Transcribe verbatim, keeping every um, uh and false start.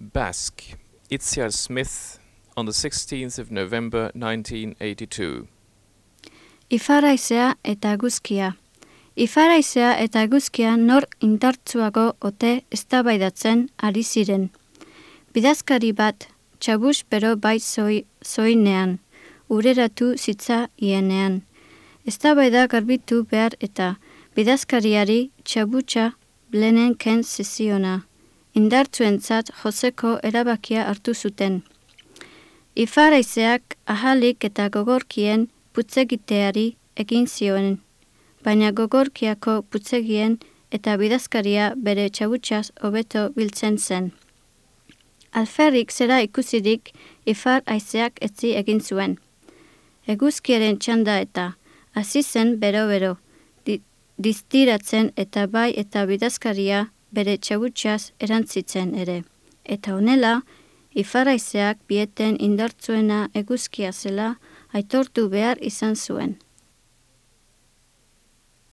Basque, Itziar Smith, on the sixteenth of November nineteen eighty-two. Ifaraizea eta eguzkia. Ifaraizea eta eguzkia nor indartsuago ote eztabaidatzen ari ziren. Bidazkari bat, txabus bero bai zoi, zoinean, ureratu zitza ienean. Eztabaida garbitu behar eta bidazkariari txabutxa blenen ken zeziona. Indartsuentzat joseko erabakia hartu zuten. Ifaraizeak ahalik eta gogorkien putzegiteari egin zioen, baina gogorkiako putzegien eta bidazkaria bere txabutxaz hobeto biltzen zen. Alferrik zera ikusirik ifar aizeak etzi egin zuen. Eguzkiaren txanda eta hasi zen bero-bero, di, diztiratzen eta bai eta bidazkaria bere txabutxaz erantzitzen ere. Eta honela, ifaraizeak bieten indartzuena eguzkia zela aitortu behar izan zuen.